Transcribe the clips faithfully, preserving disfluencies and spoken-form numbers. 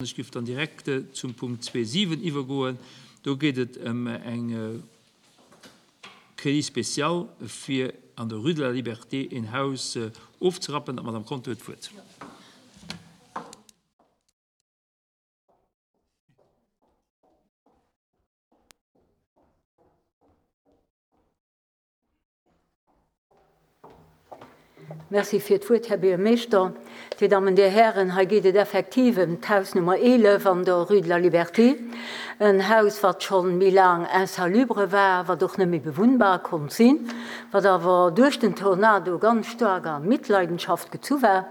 Ech géif dann direkt zum Punkt zwee siwen iwwergoen. Do geet et ëm eng Crédit spécial fir an der Rue de la Liberté een Haus ofzerappen. D'Madame Conter huet d'Wuert. Merci fir d'Wuert, Här Buergermeeschter. Dir Dammen, Dir Hären, hei geet et effektiv ëm d'Haus Nummer eelef an der Rue de la Liberté, en Haus, wat schonn méi laang insalubre war, wat och net méi bewunnbar konnt sinn, wat awer duerch den Tornado ganz staark a Mitleidenschaft gezu war,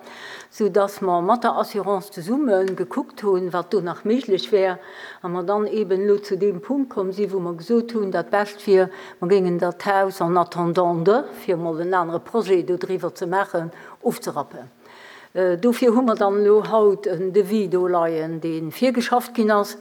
soudass mer mat der Assurance zesumme gekuckt hunn, wat do nach méiglech wär, a mer dann eeben elo zu deem Punkt komm sinn, wou mer gesot hunn, dat Bescht wier, mer géingen dat Haus en attendant de, fir emol en anere Projet dodriwwer ze maachen, ofzerappen. Dofir hu mer dann elo haut en Devis do leien, dee virgeschafft ginn ass,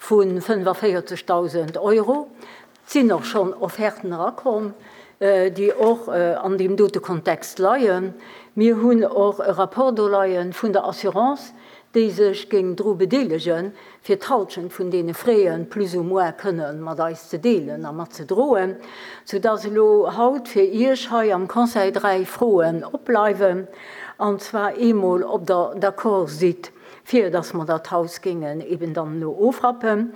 vu fënnefavierzegdausend Euro. Et sinn och schonn Offerten erakomm, déi och an deem dote Kontext leien. Mir hunn och e Rapport do leie vun der Assurance, déi sech géing dru bedeelegen, fir d'Halschent vun deene Frais plus ou moins kënne mat eis ze deelen a mat ze droen, soudass elo haut fir Iech hei am Conseil dräi Froen opbleiwen, an zwar eemol, ob Der d'accord sidd, fir dass mer dat Haus géingen eben dann elo ofrappen.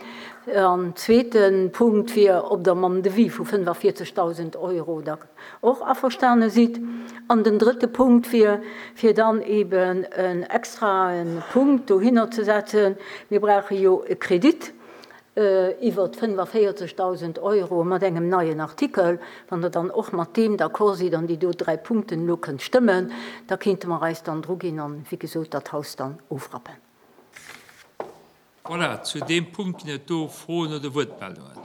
An zweete Punkt wier, ob Der mam Devis vu fënnefavierzegdausend Euro da och averstane sidd. An den drëtte Punkt wier, fir dann eben en extrae Punkt dohinner ze setzen. Mir brauche jo e Kredit iwwer fënnefavierzegdausend Euro mat engem neien Artikel. Wann Der dann och mat deem d'accord sidd an déi do dräi Punkten elo kënnt stëmmen, da kéinte mer eis dann druginn an, wéi gesot, dat Haus dann ofrappen. Voilà, zu deem Punkt ginn et do Froen oder Wuertmeldungen.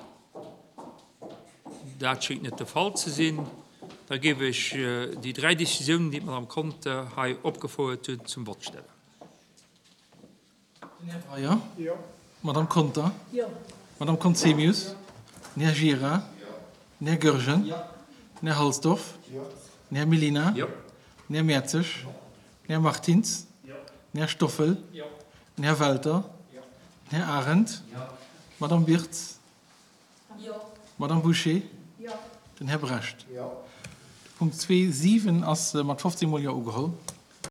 Dat schéngt net de Fall ze sinn. Da géif ech déi dräi Decisiounen, déi d'Madame Conter hei opgefouert huet, zum Vott stellen. Den Här Breyer. Jo. D'Madame Conter. Jo. D'Madame Conzemius. Jo. Den Här Gira. Jo. Den Här Goergen. Jo. Den Här Halsdorf. Jo. Den Här Mellina. Jo. Den Här Mertzig. Jo. Den Här Martins. Jo. Den Här Stoffel. Jo. Den Här Welter. Jo. Den Här Arendt. Jo. D'Madame Birtz. Jo. D'Madame Bouché. Jo. Den Här Brecht. Jo. De Punkt zwee siwen ass mat fofzéng Mol Jo ugeholl.